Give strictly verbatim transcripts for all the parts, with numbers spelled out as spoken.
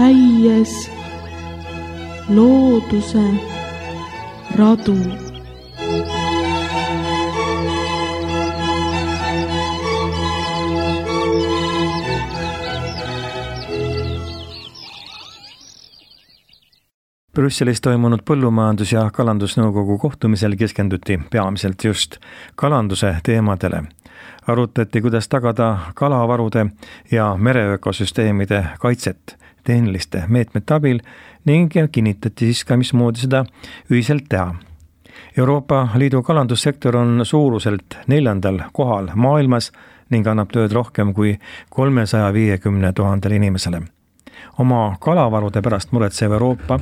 käies looduse radu. Brüsselis toimunud põllumajandus- ja kalandusnõukogu kohtumisel keskenduti peamiselt just kalanduse teemadele. Arutati, kuidas tagada kalavarude ja mereökosüsteemide kaitset tehniliste meetmete abil ning kinnitati siis ka, mismoodi seda ühiselt teha. Euroopa Liidu kalandussektor on suuruselt neljandal kohal maailmas ning annab tööd rohkem kui kolmesaja viiekümne tuhandele inimesele. Oma kalavarude pärast muretsev Euroopa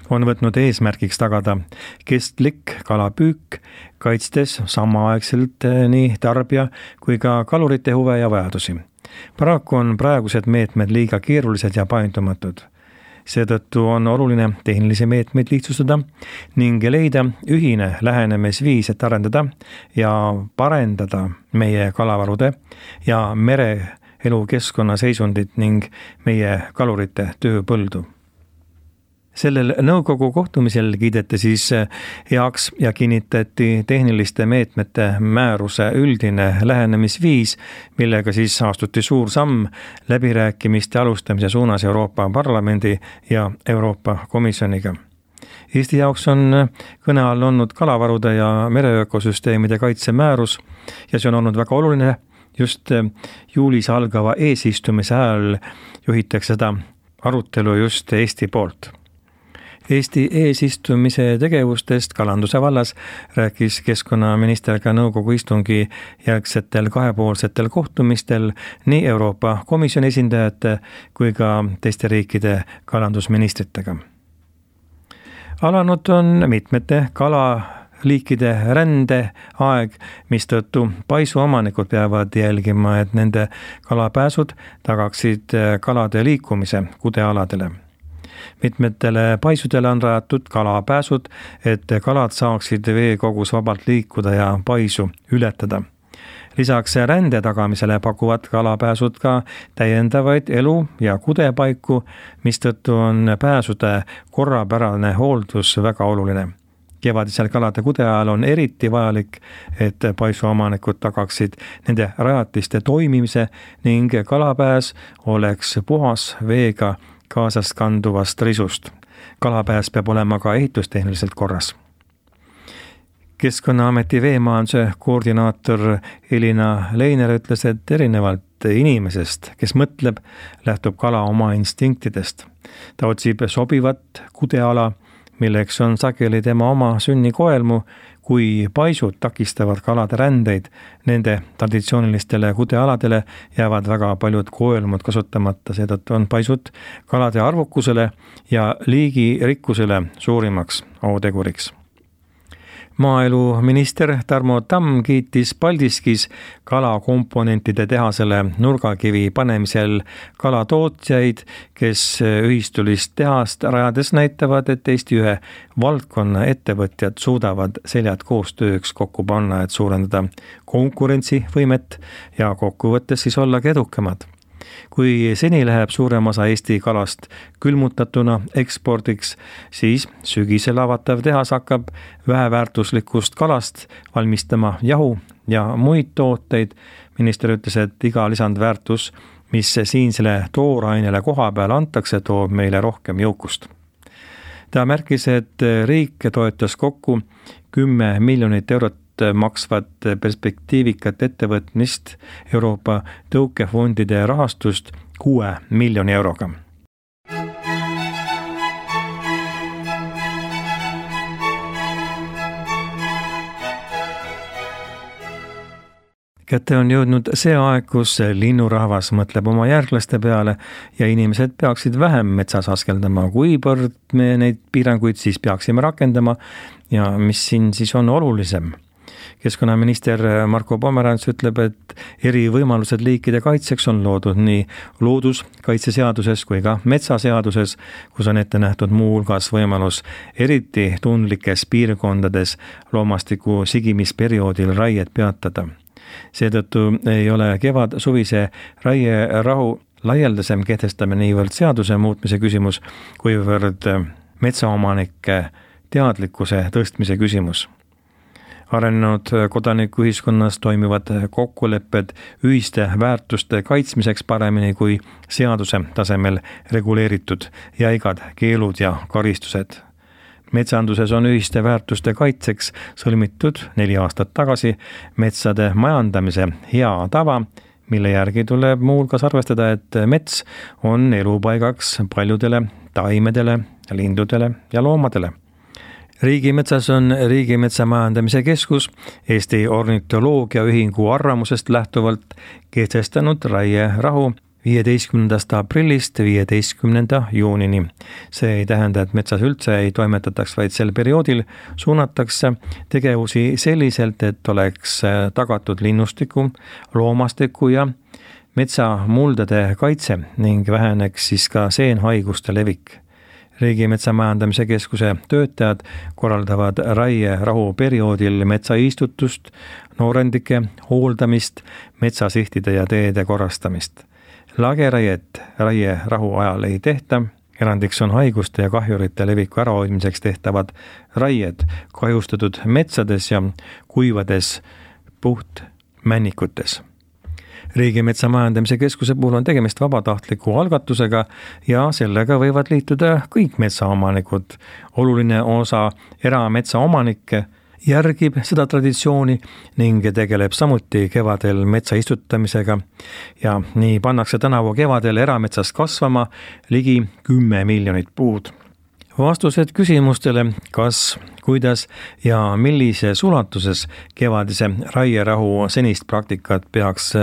on võtnud eesmärgiks tagada kestlik kalapüük, kaitstes samaaegselt nii tarbija kui ka kalurite huve ja vajadusi. Paraku on praegused meetmed liiga keerulised ja paindumatud. Seetõttu on oluline tehnilisi meetmeid lihtsustada ning leida ühine lähenemisviis, et arendada ja parendada meie kalavarude ja mere elukeskkonna seisundit ning meie kalurite tööpõldu. Sellel nõukogu kohtumisel kiideti siis heaks ja kinnitati tehniliste meetmete määruse üldine lähenemisviis, millega siis astuti suur samm läbirääkimiste alustamise suunas Euroopa Parlamendi ja Euroopa Komisjoniga. Eesti jaoks on kõne all olnud kalavarude ja mereökosüsteemide kaitsemäärus ja see on olnud väga oluline. Just juulis algava eesistumise ajal juhitakse seda arutelu just Eesti poolt. Eesti eesistumise tegevustest kalanduse vallas rääkis keskkonnaminister ka nõukogu istungi järgsetel kahepoolsetel kohtumistel nii Euroopa Komisjoni esindajate kui ka teiste riikide kalandusministritega. Alanud on mitmete kala liikide rände aeg, mistõttu paisu omanikud peavad jälgima, et nende kalapääsud tagaksid kalade liikumise kudealadele. Mitmetele paisudele on rajatud kalapääsud, et kalad saaksid veekogus vabalt liikuda ja paisu ületada. Lisaks rände tagamisele pakuvad kalapääsud ka täiendavaid elu- ja kudepaiku, mistõttu on pääsude korrapärane hooldus väga oluline. Kevadisel kalade kude ajal on eriti vajalik, et paisuomanikud tagaksid nende rajatiste toimimise ning kalapääs oleks puhas veega kaasast kanduvast risust. Kalapääs peab olema ka ehitustehniliselt korras. Keskkonnaameti veemajanduse koordinaator Elina Leiner ütles, et erinevalt inimesest, kes mõtleb, lähtub kala oma instinktidest. Ta otsib sobivat kudeala, milleks on sageli tema oma sünnikoelmu, kui paisud takistavad kalade rändeid. Nende traditsioonilistele kudealadele jäävad väga paljud koelmud kasutamata, seetõttu on paisud kalade arvukusele ja liigi rikkusele suurimaks ohuteguriks. Maaeluminister Tarmo Tamm kiitis Paldiskis kalakomponentide tehasele nurgakivi panemisel kalatootjaid, kes ühistulist tehast rajades näitavad, et Eesti ühe valdkonna ettevõtjad suudavad seljad koostööks kokku panna, et suurendada konkurentsivõimet ja kokkuvõttes siis olla edukamad. Kui seni läheb suurem osa Eesti kalast külmutatuna ekspordiks, siis sügisel avatav tehas hakkab väheväärtuslikust kalast valmistama jahu ja muid tooteid. Minister ütles, et iga lisandväärtus, mis siinsele toorainele koha peal antakse, toob meile rohkem jõukust. Ta märkis, et riik toetas kokku kümme miljonit eurot maksvat perspektiivikat ettevõtmist Euroopa tõukefondide rahastust kuue miljoni euroga. Kätte on jõudnud see aeg, kus linnurahvas mõtleb oma järglaste peale ja inimesed peaksid vähem metsas askeldama. Kuivõrd me neid piiranguid siis peaksime rakendama ja mis siin siis on olulisem? Keskkonnaminister Marko Pomerants ütleb, et eri võimalused liikide kaitseks on loodud nii looduskaitseseaduses kui ka metsaseaduses, kus on ette nähtud muu hulgas võimalus eriti tundlikes piirkondades loomastiku sigimisperioodil raiet peatada. Seetõttu ei ole kevad-suvise raierahu laialdasem kehtestamine niivõrd seaduse muutmise küsimus, kuivõrd metsaomanike teadlikkuse tõstmise küsimus. Arenenud kodanikuühiskonnas toimivad kokkulepped ühiste väärtuste kaitsmiseks paremini kui seaduse tasemel reguleeritud jäigad keelud ja karistused. Metsanduses on ühiste väärtuste kaitseks sõlmitud neli aastat tagasi metsade majandamise hea tava, mille järgi tuleb muuhulgas arvestada, et mets on elupaigaks paljudele taimedele, lindudele ja loomadele. Riigimetsas on Riigimetsa Majandamise Keskus Eesti Ornitoloogia Ühingu arvamusest lähtuvalt kehtestanud raierahu viieteistkümnendast aprillist viieteistkümnenda juunini. See ei tähenda, et metsas üldse ei toimetataks, vaid sel perioodil suunatakse tegevusi selliselt, et oleks tagatud linnustiku, loomastiku ja metsamuldade kaitse ning väheneks siis ka seenhaiguste levik. Riigimetsa Majandamise Keskuse töötajad korraldavad raierahu perioodil metsaistutust, noorendike hooldamist, metsasihtide ja teede korrastamist. Lageraiet raierahu ajal ei tehta, erandiks on haiguste ja kahjurite leviku ärahoidmiseks tehtavad raied kahjustatud metsades ja kuivades puhtmännikutes. Riigimetsa Majandamise Keskuse puhul on tegemist vabatahtliku algatusega ja sellega võivad liituda kõik metsaomanikud. Oluline osa erametsaomanikke järgib seda traditsiooni ning tegeleb samuti kevadel metsa istutamisega ja nii pannakse tänavu kevadel erametsas kasvama ligi kümme miljonit puud. Vastused küsimustele, kas, kuidas ja millises ulatuses kevadise raierahu senist praktikat peaks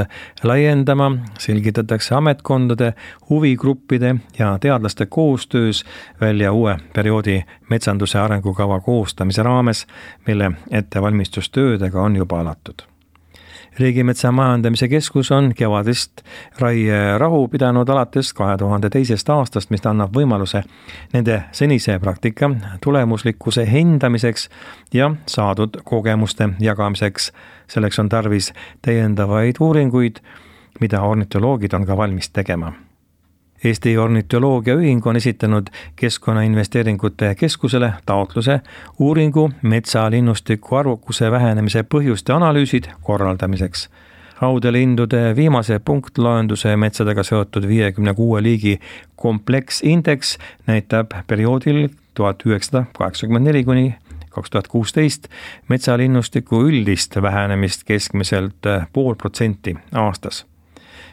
laiendama, selgitatakse ametkondade, huvigruppide ja teadlaste koostöös välja uue perioodi metsanduse arengukava koostamise raames, mille ettevalmistustöödega on juba alatud. Riigimetsa Majandamise Keskus on kevadist raierahu pidanud alates kahe tuhande teisest aastast, mis annab võimaluse nende senise praktika tulemuslikkuse hindamiseks ja saadud kogemuste jagamiseks. Selleks on tarvis täiendavaid uuringuid, mida ornitoloogid on ka valmis tegema. Eesti Ornitoloogia Ühing on esitanud Keskkonnainvesteeringute Keskusele taotluse uuringu metsalinnustiku arvukuse vähenemise põhjuste analüüsid korraldamiseks. Haudelindude viimase punktloenduse metsadega seotud viiekümne kuue liigi kompleksindeks näitab perioodil tuhat üheksasada kaheksakümmend neli kuni kaks tuhat kuusteist metsalinnustiku üldist vähenemist keskmiselt pool protsenti aastas.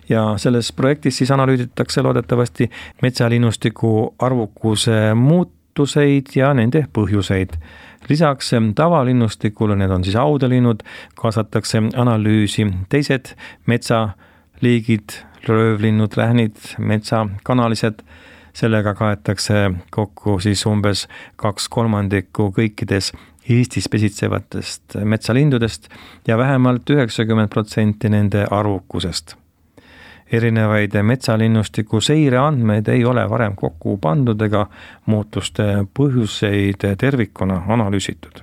Ja selles projektis siis analüüsitakse loodetavasti metsalinnustiku arvukuse muutuseid ja nende põhjuseid. Lisaks tavalinnustikule, need on siis haudelinnud, kaasatakse analüüsi teised metsaliigid, röövlinnud, rähnid, metsakanalised. Sellega kaetakse kokku siis umbes kaks kolmandikku kõikides Eestis pesitsevatest metsalindudest ja vähemalt üheksakümmend protsenti nende arvukusest. Erinevaid metsalinnustiku seire andmeid ei ole varem kokku pandud ega muutuste põhjuseid tervikuna analüüsitud.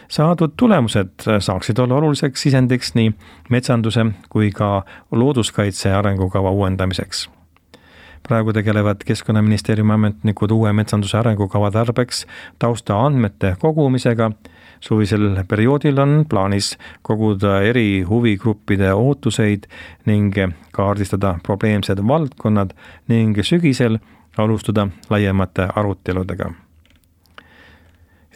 Saadud tulemused saaksid olla oluliseks sisendiks nii metsanduse kui ka looduskaitse arengukava uuendamiseks. Praegu tegelevad Keskkonnaministeeriumi ametnikud uue metsanduse arengukava tarbeks tausta andmete kogumisega. Suvisel perioodil on plaanis koguda eri huvigruppide ootuseid ning kaardistada probleemsed valdkonnad ning sügisel alustada laiemate aruteludega.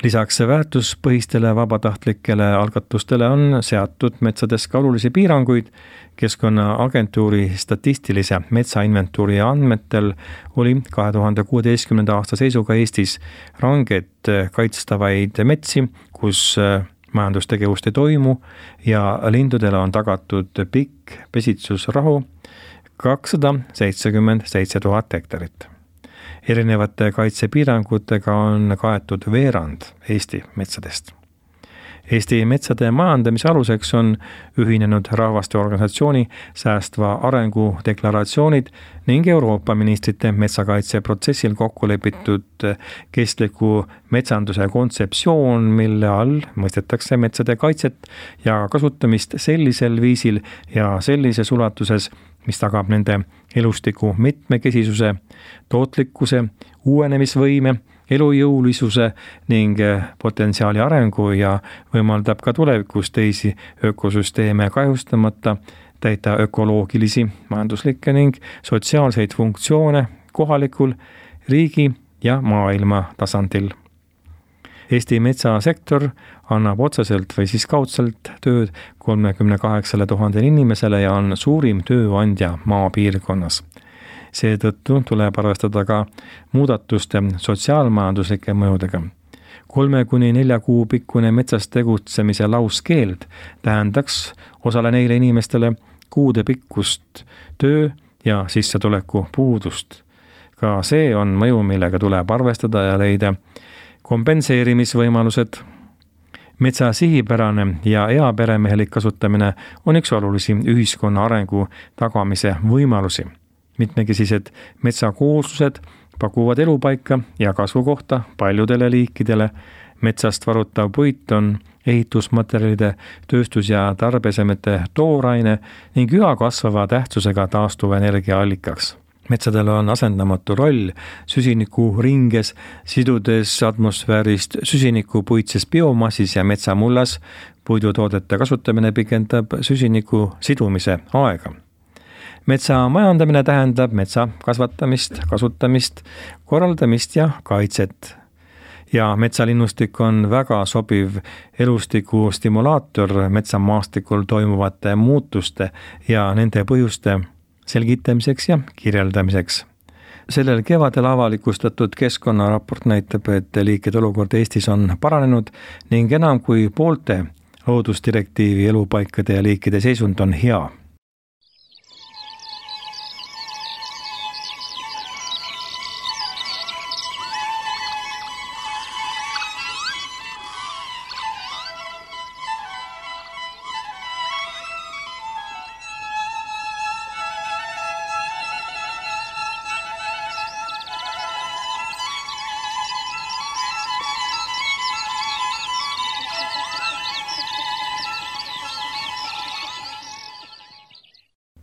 Lisaks väärtuspõhistele vabatahtlikele algatustele on seatud metsades ka olulisi piiranguid. Keskkonnaagentuuri statistilise metsainventuuri andmetel oli kahe tuhande kuueteistkümnenda aasta seisuga Eestis ranget kaitstavaid metsi, kus majandustegevust ei toimu ja lindudele on tagatud pikk pesitsusrahu kakssada seitsekümmend seitse tuhat hektarit. Erinevate kaitsepiirangutega on kaetud veerand Eesti metsadest. Eesti metsade majandamise aluseks on ühinenud rahvaste organisatsiooni säästva arengu deklaratsioonid ning Euroopa ministrite metsakaitseprotsessil kokku lepitud kestliku metsanduse kontseptsioon, mille all mõistetakse metsade kaitset ja kasutamist sellisel viisil ja sellises ulatuses, mis tagab nende elustiku mitmekesisuse, tootlikkuse, uuenemisvõime, elujõulisuse ning potentsiaali arengu ja võimaldab ka tulevikus teisi ökosüsteeme kahjustamata täita ökoloogilisi, majanduslikke ning sotsiaalseid funktsioone kohalikul, riigi ja maailma tasandil. Eesti metsasektor annab otseselt või siis kaudselt tööd kolmekümne kaheksale tuhandele inimesele ja on suurim tööandja maapiirkonnas. Seetõttu tuleb arvestada ka muudatuste sotsiaalmajanduslike mõjudega. Kolme kuni nelja kuu pikkune metsas tegutsemise lauskeeld tähendaks osale neile inimestele kuude pikkust töö ja sissetuleku puudust. Ka see on mõju, millega tuleb arvestada ja leida kompenseerimisvõimalused. Metsa sihipärane ja eaperemehelik kasutamine on üks olulisi ühiskonna arengu tagamise võimalusi. Mitmekesised metsakooslused pakuvad elupaika ja kasvukohta paljudele liikidele. Metsast varutav puit on ehitusmaterjalide, tööstus- ja tarbesemete tooraine ning üha kasvava tähtsusega taastuvenergia allikaks. Metsadel on asendamatu roll süsiniku ringes, sidudes atmosfäärist süsiniku puitses biomassis ja metsamullas. Puidutoodete kasutamine pikendab süsiniku sidumise aega. Metsa majandamine tähendab metsa kasvatamist, kasutamist, korraldamist ja kaitset. Ja metsalinnustik on väga sobiv elustiku stimulaator metsamaastikul toimuvate muutuste ja nende põhjuste selgitamiseks ja kirjeldamiseks. Sellel kevadel avalikustatud keskkonnaraport näitab, et liikide olukord Eestis on paranenud ning enam kui poolte loodusdirektiivi elupaikade ja liikide seisund on hea.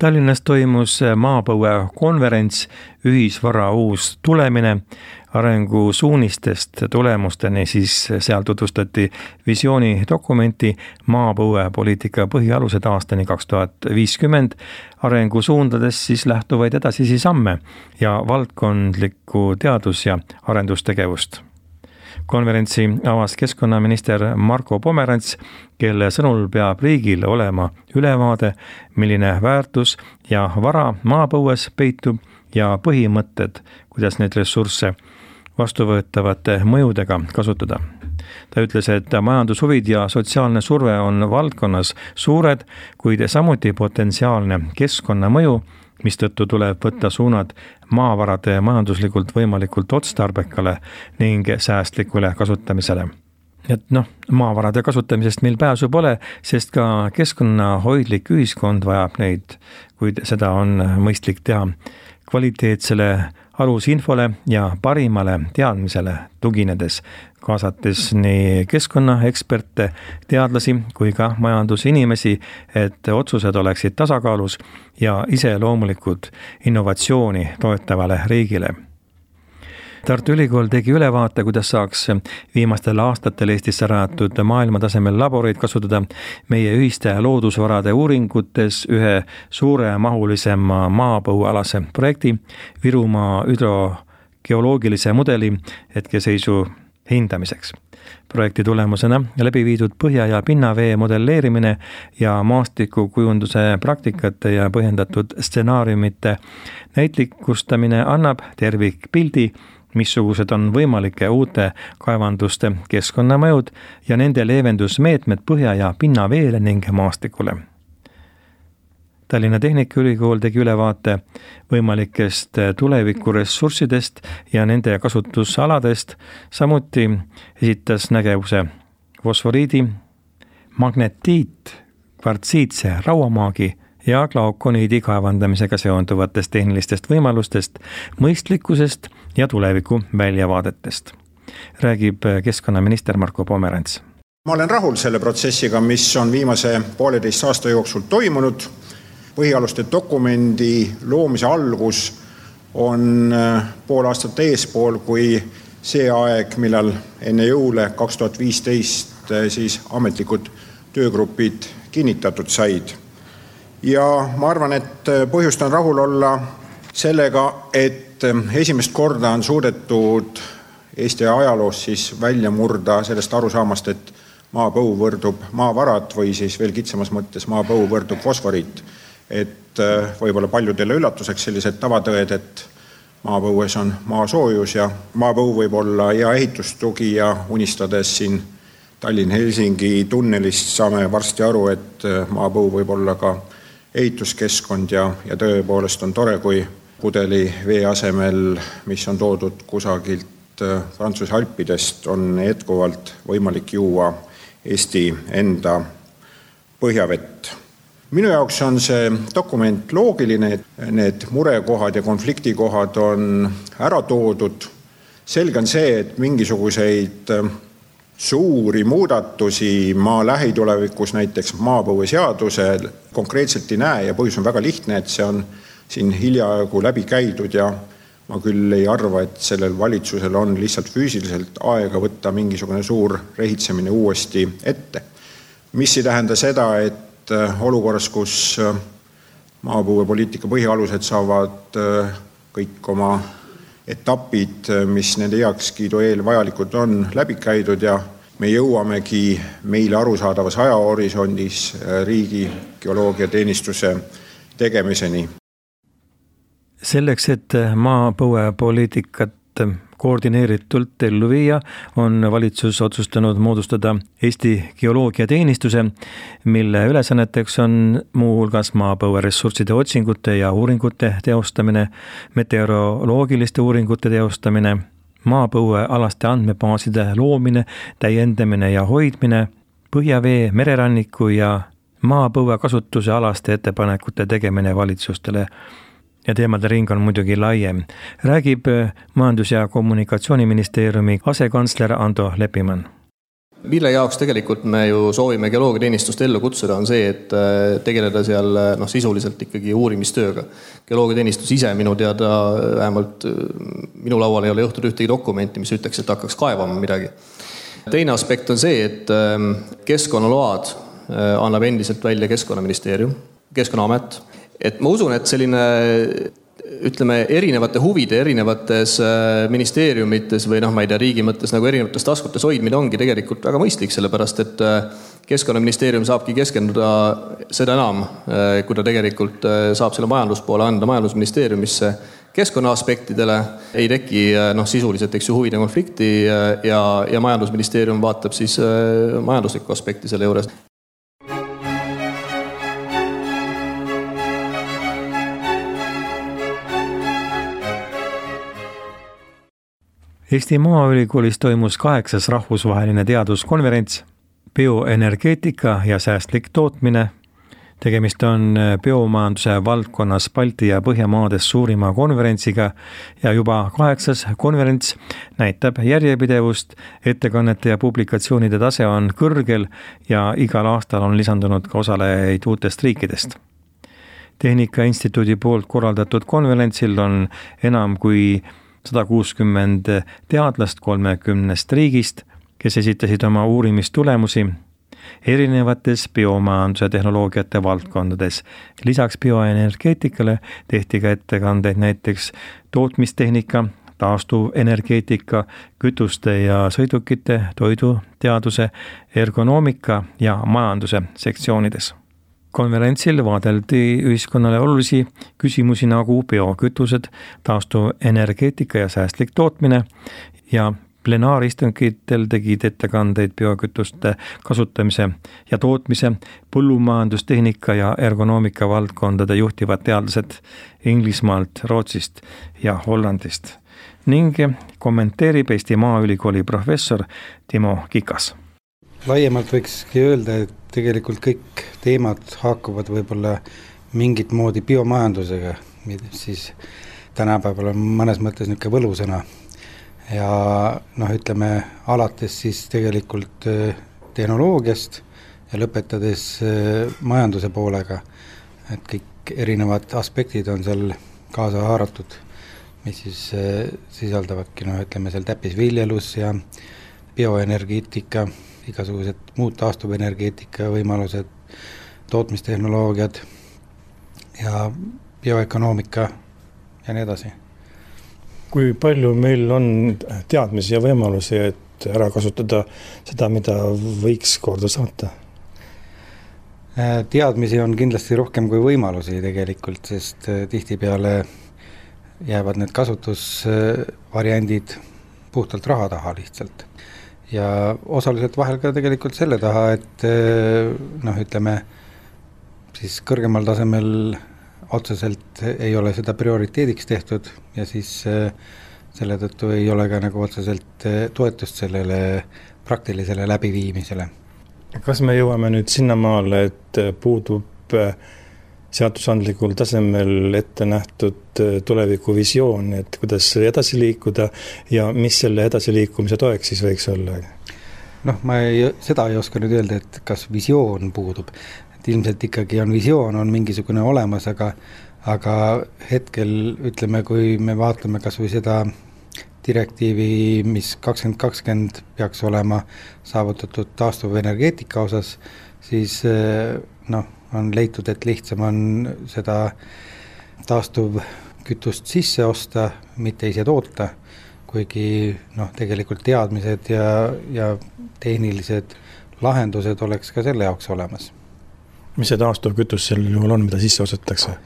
Tallinnas toimus maapõue konverents Ühisvara uus tulemine arengusuunistest tulemusteni, siis seal tutvustati visiooni dokumenti maapõue poliitika põhialused aastani kaks tuhat viiskümmend, arengusuundades siis lähtuvaid edasisi samme ja valdkondlikku teadus- ja arendustegevust. Konverentsi avas keskkonnaminister Marko Pomerants, kelle sõnul peab riigil olema ülevaade, milline väärtus ja vara maapõues peitub ja põhimõtted, kuidas neid ressursse vastuvõetavate mõjudega kasutada. Ta ütles, et majandushuvid ja sotsiaalne surve on valdkonnas suured, kuid samuti potentsiaalne keskkonnamõju, mistõttu tuleb võtta suunad maavarade majanduslikult võimalikult otstarbekale ning säästlikule kasutamisele. Et noh, maavarade kasutamisest meil pääsu pole, sest ka keskkonnahoidlik ühiskond vajab neid, kuid seda on mõistlik teha kvaliteetsele alusinfole ja parimale teadmisele tuginedes, kaasates nii keskkonnaeksperte, teadlasi kui ka majandusinimesi, et otsused oleksid tasakaalus ja iseloomulikud innovatsiooni toetavale riigile. Tartu Ülikool tegi ülevaate, kuidas saaks viimastel aastatel Eestisse rajatud maailmatasemel laboreid kasutada meie ühiste loodusvarade uuringutes ühe suuremahulisema maapõuealase projekti Virumaa hüdrogeoloogilise mudeli hetkeseisu hindamiseks. Projekti tulemusena läbi viidud põhja- ja pinnavee modelleerimine ja maastikukujunduse praktikate ja põhjendatud stsenaariumite näitlikustamine annab tervikpildi, missugused on võimalike uute kaevanduste keskkonnamõjud ja nende leevendusmeetmed põhja- ja pinnaveele ning maastikule. Tallinna Tehnikaülikool tegi ülevaate võimalikest tulevikuressurssidest ja nende kasutusaladest, samuti esitas nägevuse fosforiidi, magnetiit, kvartsiitse rauamaagi ja glaukoniidi kaevandamisega seonduvatest tehnilistest võimalustest, mõistlikkusest ja tuleviku väljavaadetest. Räägib keskkonnaminister Marko Pomerants. Ma olen rahul selle protsessiga, mis on viimase pooleteist aasta jooksul toimunud. põhialuste dokumendi loomise algus on pool aastat eespool, kui see aeg, millal enne jõule kaks tuhat viisteist siis ametlikud töögrupid kinnitatud said. Ja ma arvan, et põhjust on rahul olla sellega, et esimest korda on suudetud Eesti ajaloos siis välja murda sellest arusaamast, et maapõu võrdub maavarad või siis veel kitsamas mõttes maapõu võrdub fosforiit. Et võib-olla paljudele üllatuseks sellised tavatõed, et maapõues on maasoojus ja maapõu võib olla hea ehitustugi ja unistades siin Tallinn-Helsingi tunnelist saame varsti aru, et maapõu võib olla ka ehituskeskkond ja, ja tõepoolest on tore, kui pudeli vee asemel, mis on toodud kusagilt Prantsuse Alpidest, on jätkuvalt võimalik juua Eesti enda põhjavett. Minu jaoks on see dokument loogiline, et need murekohad ja konfliktikohad on ära toodud. Selge on see, et mingisuguseid suuri muudatusi maa lähitulevikus näiteks maapõueseadusel konkreetselt ei näe ja põhjus on väga lihtne, et see on siin hiljaaegu läbi käidud ja ma küll ei arva, et sellel valitsusel on lihtsalt füüsiliselt aega võtta mingisugune suur rehitsemine uuesti ette. Mis ei tähenda seda, et olukorras, kus maapõuepoliitika põhialused saavad kõik oma etapid, mis nende heakskiidu eel vajalikud on, läbi käidud ja me jõuamegi meile arusaadavas ajahorisondis riigi geoloogiateenistuse tegemiseni. Selleks, et maapõuepoliitikat koordineeritult ellu viia, on valitsus otsustanud moodustada Eesti geoloogiateenistuse, mille ülesanneteks on muu hulgas maapõueressursside otsingute ja uuringute teostamine, meteoroloogiliste uuringute teostamine, maapõuealaste andmebaaside loomine, täiendamine ja hoidmine, põhjavee, mereranniku ja maapõue kasutuse alaste ettepanekute tegemine valitsustele. Ja teemade ring on muidugi laiem. Räägib Majandus- ja Kommunikatsiooniministeeriumi asekantsler Ando Leppimann. Mille jaoks tegelikult me ju soovime geoloogiateenistust ellu kutsuda on see, et tegeleda seal noh, sisuliselt ikkagi uurimistööga. Geoloogiateenistus ise minu teada vähemalt minu laual ei ole jõhtud ühtegi dokumenti, mis ütleks, et hakkaks kaevama midagi. Teine aspekt on see, et keskkonnaload annab endiselt välja Keskkonnaministeerium, Keskkonnaamet. Et ma usun, et selline ütleme erinevate huvide erinevates ministeeriumites või noh, ma ei tea, riigi mõttes nagu erinevates taskutes hoidmine ongi tegelikult väga mõistlik, sellepärast et Keskkonnaministeerium saabki keskenduda seda enam, kui ta tegelikult saab selle majanduspoole anda majandusministeeriumisse keskkonna aspektidele, ei teki noh, sisuliselt eks ju huvide konflikti ja, ja majandusministeerium vaatab siis majanduslikku aspekti selle juures. Eesti Maaülikoolis toimus kaheksas rahvusvaheline teaduskonverents bioenergeetika ja säästlik tootmine. Tegemist on biomajanduse valdkonnas Balti ja Põhjamaades suurima konverentsiga ja juba kaheksas konverents näitab järjepidevust, ettekannete ja publikatsioonide tase on kõrgel ja igal aastal on lisandunud ka osalejaid uutest riikidest. Tehnika Instituudi poolt korraldatud konverentsil on enam kui sada kuuskümmend teadlast kolmekümnest riigist, kes esitasid oma uurimistulemusi erinevates biomajanduse tehnoloogiate valdkondades. Lisaks bioenergeetikale tehti ka ettekandeid näiteks tootmistehnika, taastuvenergeetika, kütuste ja sõidukite, toiduteaduse, ergonoomika ja majanduse sektsioonides. Konverentsil vaadeldi ühiskonnale olulisi küsimusi nagu biokütused, taastuvenergeetika ja säästlik tootmine ja plenaaristungitel tegid ettekandeid biokütuste kasutamise ja tootmise, põllumajandustehnika ja ergonoomika valdkondade juhtivad teadlased Inglismaalt, Rootsist ja Hollandist ning kommenteerib Eesti Maaülikooli professor Timo Kikas. Laiemalt võikski öelda, et tegelikult kõik teemad haakuvad võib-olla mingit moodi biomajandusega, siis tänapäeval on mõnes mõttes niisugune võlusõna. Ja noh, ütleme alates siis tegelikult tehnoloogiast ja lõpetades majanduse poolega, et kõik kõik erinevad aspektid on seal kaasa haaratud, mis siis sisaldavadki, noh, ütleme seal täppisviljelus ja bioenergeetika, igasugused muud taastuvenergeetika võimalused, tootmistehnoloogiad ja bioökonoomika ja nii edasi. Kui palju meil on teadmisi ja võimalusi, et ära kasutada seda, mida võiks korda saata? Teadmisi on kindlasti rohkem kui võimalusi tegelikult, sest tihtipeale jäävad need kasutusvariandid puhtalt raha taha lihtsalt. Ja osaliselt vahel ka tegelikult selle taha, et noh, ütleme, siis kõrgemal tasemel otseselt ei ole seda prioriteediks tehtud ja siis selle tõttu ei ole ka nagu otseselt toetust sellele praktilisele läbiviimisele. Kas me jõuame nüüd sinnamaale, et puudub seadusandlikul tasemel ette nähtud tulevikuvisioon, et kuidas edasi liikuda ja mis selle edasi liikumise toeks siis võiks olla? Noh, ma ei, seda ei oska nüüd öelda, et kas visioon puudub. Et ilmselt ikkagi on visioon, on mingisugune olemas, aga, aga hetkel ütleme, kui me vaatame kas või seda direktiivi, mis kakskümmend kakskümmend peaks olema saavutatud taastuvenergeetika osas, siis noh, on leitud, et lihtsam on seda taastuvkütust sisse osta, mitte ise toota, kuigi noh, tegelikult teadmised ja, ja tehnilised lahendused oleks ka selle jaoks olemas. Mis see taastuvkütus sel juhul on, mida sisse ostetakse?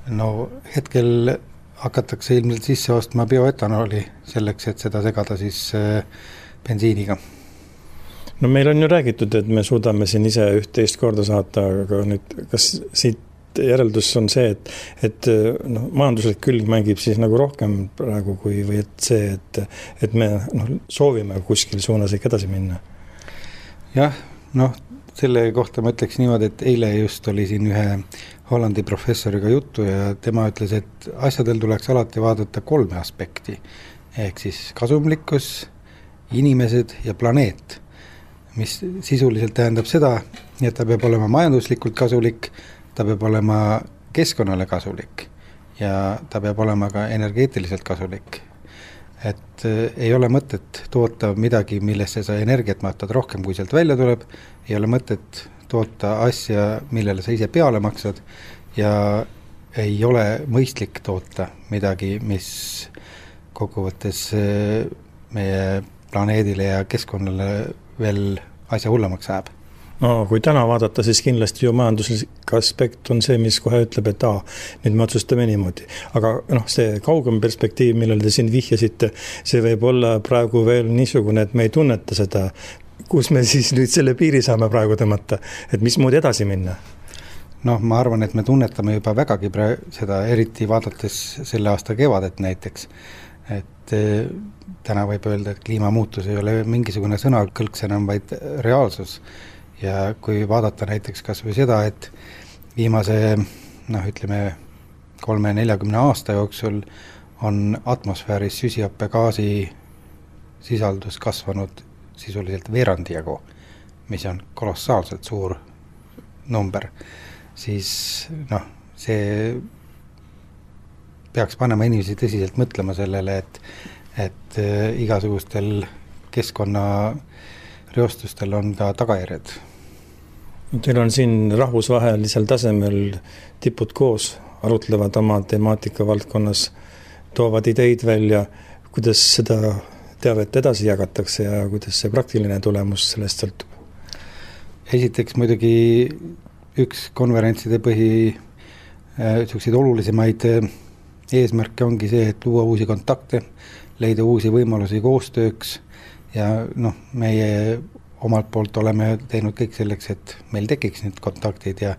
No hetkel hakatakse ilmselt sisse ostma bioetanooli selleks, et seda segada siis bensiiniga. No meil on ju räägitud, et me suudame siin ise üht-teist korda saata, aga nüüd kas siit järeldus on see, et, et no, majanduslik külg mängib siis nagu rohkem praegu kui või et see, et, et me no, soovime kuskil suunas ikka edasi minna? Jah, noh, selle kohta ma ütleks niimoodi, et eile just oli siin ühe Hollandi professoriga juttu ja tema ütles, et asjadel tuleks alati vaadata kolme aspekti, ehk siis kasumlikkus, inimesed ja planeet, mis sisuliselt tähendab seda, et ta peab olema majanduslikult kasulik, ta peab olema keskkonnale kasulik ja ta peab olema ka energeetiliselt kasulik. Et ei ole mõtet toota midagi, millesse sa energiat mahtad rohkem, kui sealt välja tuleb, ei ole mõtet toota asja, millele sa ise peale maksad ja ei ole mõistlik toota midagi, mis kokkuvõttes meie planeedile ja keskkonnale veel asja hullemaks ajab. No kui täna vaadata, siis kindlasti ju majanduslik aspekt on see, mis kohe ütleb, et aa, nüüd me otsustame niimoodi. Aga noh, see kaugem perspektiiv, millele te siin vihjasite, see võib olla praegu veel niisugune, et me ei tunneta seda, kus me siis nüüd selle piiri saame praegu tõmmata, et mis moodi edasi minna? Noh, ma arvan, et me tunnetame juba vägagi pra- seda, eriti vaadates selle aasta kevadet näiteks, et eh, täna võib öelda, et kliimamuutus ei ole mingisugune sõnakõlks enam, vaid reaalsus. Ja kui vaadata näiteks kas või seda, et viimase, noh, ütleme, kolme neljakümne aasta jooksul on atmosfääris süsihappegaasi sisaldus kasvanud sisuliselt veerandi jagu, mis on kolossaalselt suur number, siis noh, see peaks panema inimesi tõsiselt mõtlema sellele, et, et igasugustel keskkonna reostustel on ka tagajärjed. Teil on siin rahvusvahelisel tasemel tipud koos, arutlevad oma temaatika valdkonnas, toovad ideid välja, kuidas seda teavet edasi jagatakse ja kuidas see praktiline tulemus sellest sõltub. Esiteks muidugi üks konverentside põhi selliseid olulisemaid eesmärke ongi see, et luua uusi kontakte, leida uusi võimalusi koostööks ja noh, meie omalt poolt oleme teinud kõik selleks, et meil tekiks need kontaktid ja,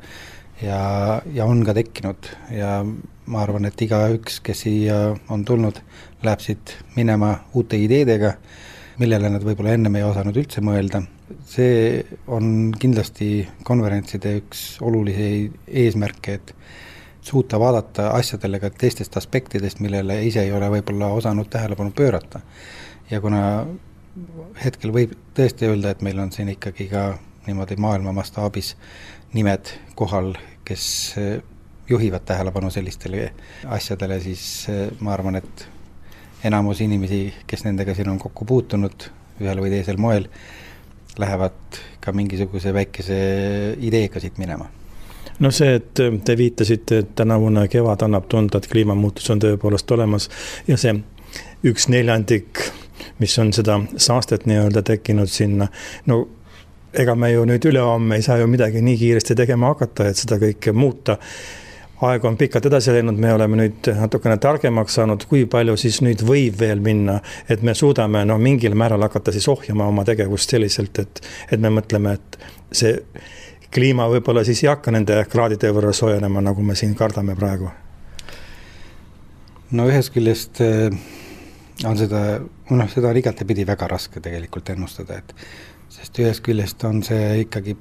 ja, ja on ka tekkinud ja ma arvan, et iga üks, kes siia on tulnud, läheb siit minema uute ideedega, millele nad võib-olla ennem ei osanud üldse mõelda. See on kindlasti konverentside üks olulisi eesmärke, et suuta vaadata asjadele ka teistest aspektidest, millele ise ei ole võib-olla osanud tähelepanu pöörata. Ja kuna hetkel võib tõesti öelda, et meil on siin ikkagi ka niimoodi maailma mastaabis nimed kohal, kes juhivad tähelepanu sellistele asjadele, siis ma arvan, et enamus inimesi, kes nendega siin on kokku puutunud ühel või teisel moel, lähevad ka mingisuguse väikese ideega siit minema. No see, et te viitasite, et tänavune kevad annab tunda, et kliimamuutus on tõepoolest olemas ja see üks neljandik, mis on seda saastet nii-öelda tekkinud sinna, no ega me ju nüüd ülehomme ei saa ju midagi nii kiiresti tegema hakata, et seda kõike muuta. Aeg on pikalt edasi läinud, me oleme nüüd natukene targemaks saanud, kui palju siis nüüd võib veel minna, et me suudame no, mingil määral hakata siis ohjama oma tegevust selliselt, et, et me mõtleme, et see kliima võib-olla siis ei hakka nende kraadide võrra soojenema, nagu me siin kardame praegu. No ühes küljest on seda, noh, seda on igatepidi väga raske tegelikult ennustada, et sest ühes küljest on see ikkagi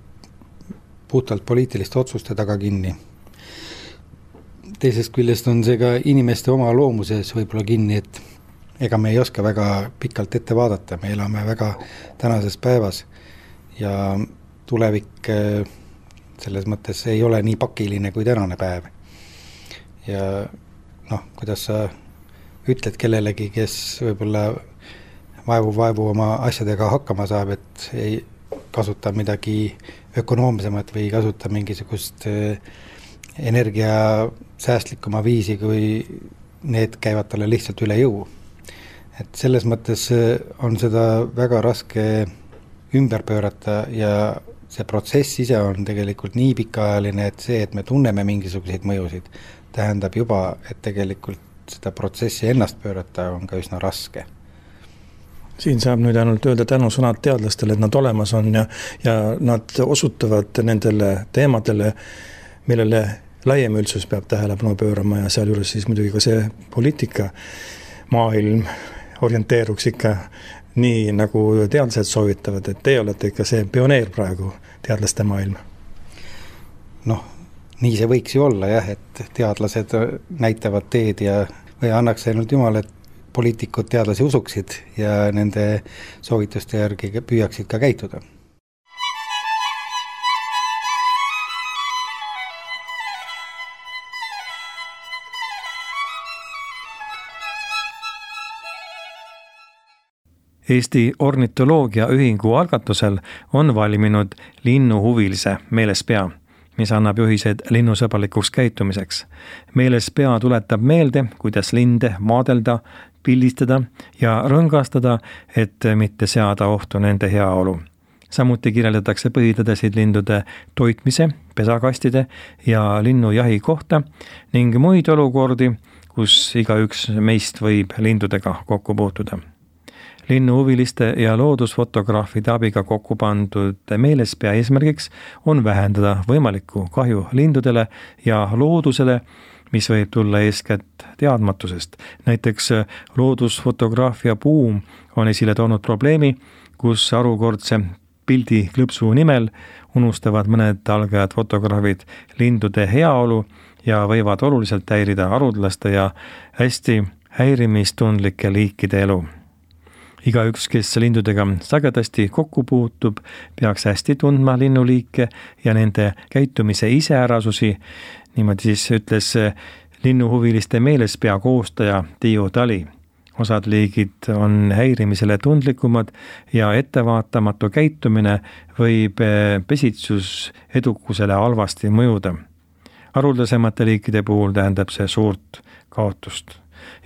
puhtalt poliitiliste otsuste taga kinni. Teisest küljest on see ka inimeste oma loomuses võib-olla kinni, et ega me ei oska väga pikalt ette vaadata, me elame väga tänases päevas ja tulevik selles mõttes ei ole nii pakiline kui tänane päev. Ja noh, kuidas sa ütled kellelegi, kes võib-olla vaevu-vaevu oma asjadega hakkama saab, et ei kasuta midagi ökonoomsemat või ei kasuta mingisugust energia säästlikuma viisi, kui need käivad talle lihtsalt üle jõu. Et selles mõttes on seda väga raske ümber pöörata ja see protsess ise on tegelikult nii pikaajaline, et see, et me tunneme mingisuguseid mõjusid, tähendab juba, et tegelikult seda protsessi ennast pöörata on ka üsna raske. Siin saab nüüd ainult öelda tänusõnad teadlastele, et nad olemas on ja, ja nad osutavad nendele teemadele, millele laiem üldsus peab tähelepanu pöörama ja seal juures siis muidugi ka see poliitika maailm orienteeruks ikka nii, nagu teadlased soovitavad, et te olete ikka see pioneer praegu teadlaste maailm. Noh, nii see võiks ju olla jah, et teadlased näitavad teed ja või annaks ainult jumal, et poliitikud teadlasi usuksid ja nende soovituste järgi püüaksid ka käituda. Eesti ornitoloogia ühingu algatusel on valminud linnuhuvilise meelespea, mis annab juhised linnusõbralikuks käitumiseks. Meelespea tuletab meelde, kuidas linde vaadelda, pildistada ja rõngastada, et mitte seada ohtu nende heaolu. Samuti kirjeldatakse põhitõdesid lindude toitmise, pesakastide ja linnujahi kohta ning muid olukordi, kus igaüks meist võib lindudega kokku puutuda. Linnuhuviliste ja loodusfotograafide abiga kokku pandud meelespea eesmärgiks on vähendada võimalikku kahju lindudele ja loodusele, mis võib tulla eeskätt teadmatusest. Näiteks loodusfotograafia buum on esile toonud probleemi, kus arukordse pildi klõpsu nimel unustavad mõned algajad fotograafid lindude heaolu ja võivad oluliselt häirida harudlaste ja hästi häirimistundlike liikide elu. Igaüks, kes lindudega sagedasti kokku puutub, peaks hästi tundma linnuliike ja nende käitumise iseärasusi. Niimoodi siis ütles linnuhuviliste meelespea koostaja Tiiu Tali. Osad liigid on häirimisele tundlikumad ja ettevaatamatu käitumine võib pesitsus edukusele halvasti mõjuda. Haruldasemate liikide puhul tähendab see suurt kaotust.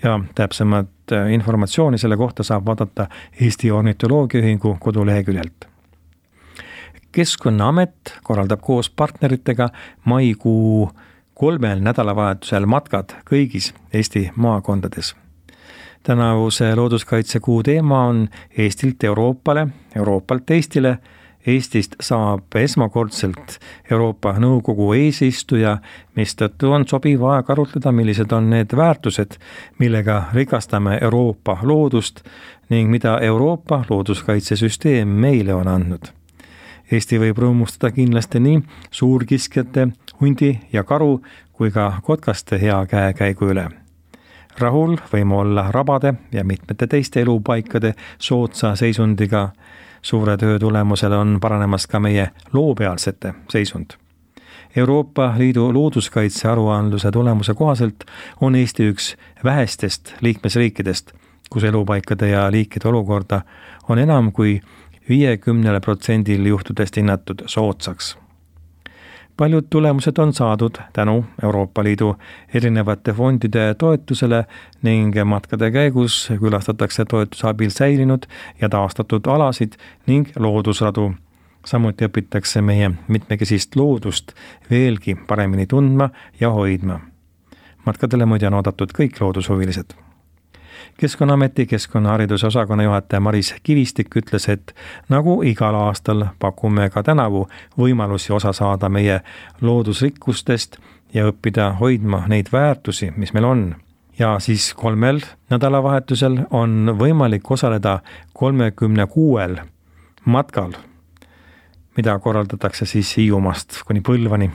Ja täpsemat informatsiooni selle kohta saab vaadata Eesti ornitoloogia ühingu koduleheküljelt. Keskkonnaamet korraldab koos partneritega maikuu kolmel nädalavahetusel matkad kõigis Eesti maakondades. Tänavuse looduskaitsekuu teema on Eestilt Euroopale, Euroopalt Eestile. Eestist saab esmakordselt Euroopa Nõukogu eesistuja, mistõttu on sobiv aeg arutleda, millised on need väärtused, millega rikastame Euroopa loodust ning mida Euroopa looduskaitsesüsteem meile on andnud. Eesti võib rõõmustada kindlasti nii suurkiskjate, hundi ja karu kui ka kotkaste hea käekäigu üle. Rahul võime olla rabade ja mitmete teiste elupaikade soodsa seisundiga. Suure töö tulemusel on paranemas ka meie loopealsete seisund. Euroopa Liidu looduskaitse aruandluse tulemuse kohaselt on Eesti üks vähestest liikmesriikidest, kus elupaikade ja liikide olukorda on enam kui viiekümnele protsendil juhtudest hinnatud soodsaks. Paljud tulemused on saadud tänu Euroopa Liidu erinevate fondide toetusele ning matkade käigus külastatakse toetuse abil säilinud ja taastatud alasid ning loodusradu. Samuti õpitakse meie mitmekesist loodust veelgi paremini tundma ja hoidma. Matkadele muide on oodatud kõik loodushuvilised. Keskkonnaameti keskkonnahariduse osakonna juhataja Maris Kivistik ütles, et nagu igal aastal pakume ka tänavu võimalusi osa saada meie loodusrikkustest ja õppida hoidma neid väärtusi, mis meil on. Ja siis kolmel nädalavahetusel on võimalik osaleda kolmekümne kuuel matkal, mida korraldatakse siis Hiiumaast kuni Põlvani.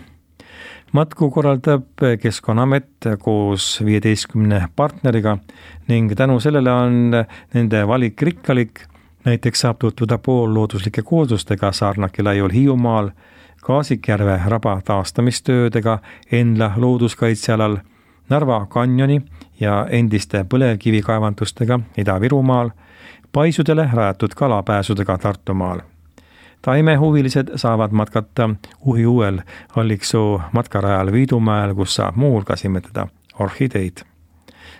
Matku korraldab Keskkonnaamet koos viieteistkümne partneriga ning tänu sellele on nende valik rikkalik. Näiteks saab tutvuda poollooduslike koosustega Saarnaki laiul Hiiumaal, Kaasikjärve raba taastamistöödega Enla looduskaitsealal, Narva kanjoni ja endiste põlevkivikaevandustega Ida-Virumaal, paisudele rajatud kalapääsudega Tartumaal. Taimehuvilised saavad matkata Uhiuuel Alliksoo matkarajal Viidumäel, kus saab muulgas imetleda orhideid.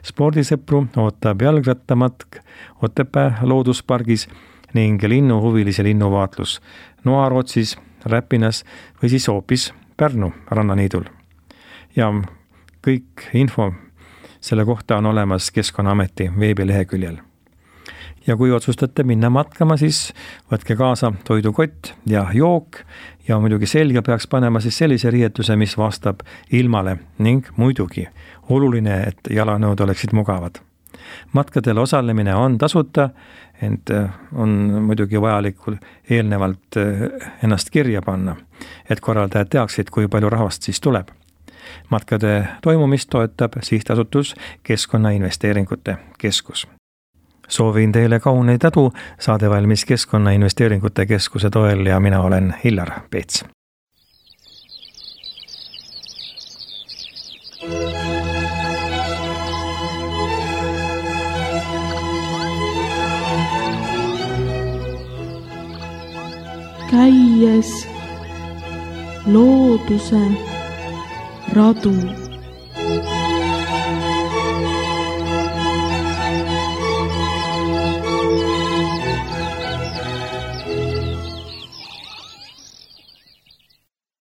Spordisõpru ootab jalgrattamatk Otepää looduspargis ning linnuhuvilise linnuvaatlus Noarootsis, Räpinas või siis hoopis Pärnu rannaniidul. Ja kõik info selle kohta on olemas Keskkonnaameti veebileheküljel. Ja kui otsustate minna matkama, siis võtke kaasa toidukott ja jook ja muidugi selga peaks panema siis sellise riietuse, mis vastab ilmale ning muidugi oluline, et jalanõud oleksid mugavad. Matkadel osalemine on tasuta, ent on muidugi vajalikul eelnevalt ennast kirja panna, et korraldajad teaksid, kui palju rahvast siis tuleb. Matkade toimumist toetab sihtasutus Keskkonnainvesteeringute Keskus. Soovin teile kauneid edu, saade valmis Keskkonnainvesteeringute Keskuse toel ja mina olen Hillar Peets. Käies looduse radu.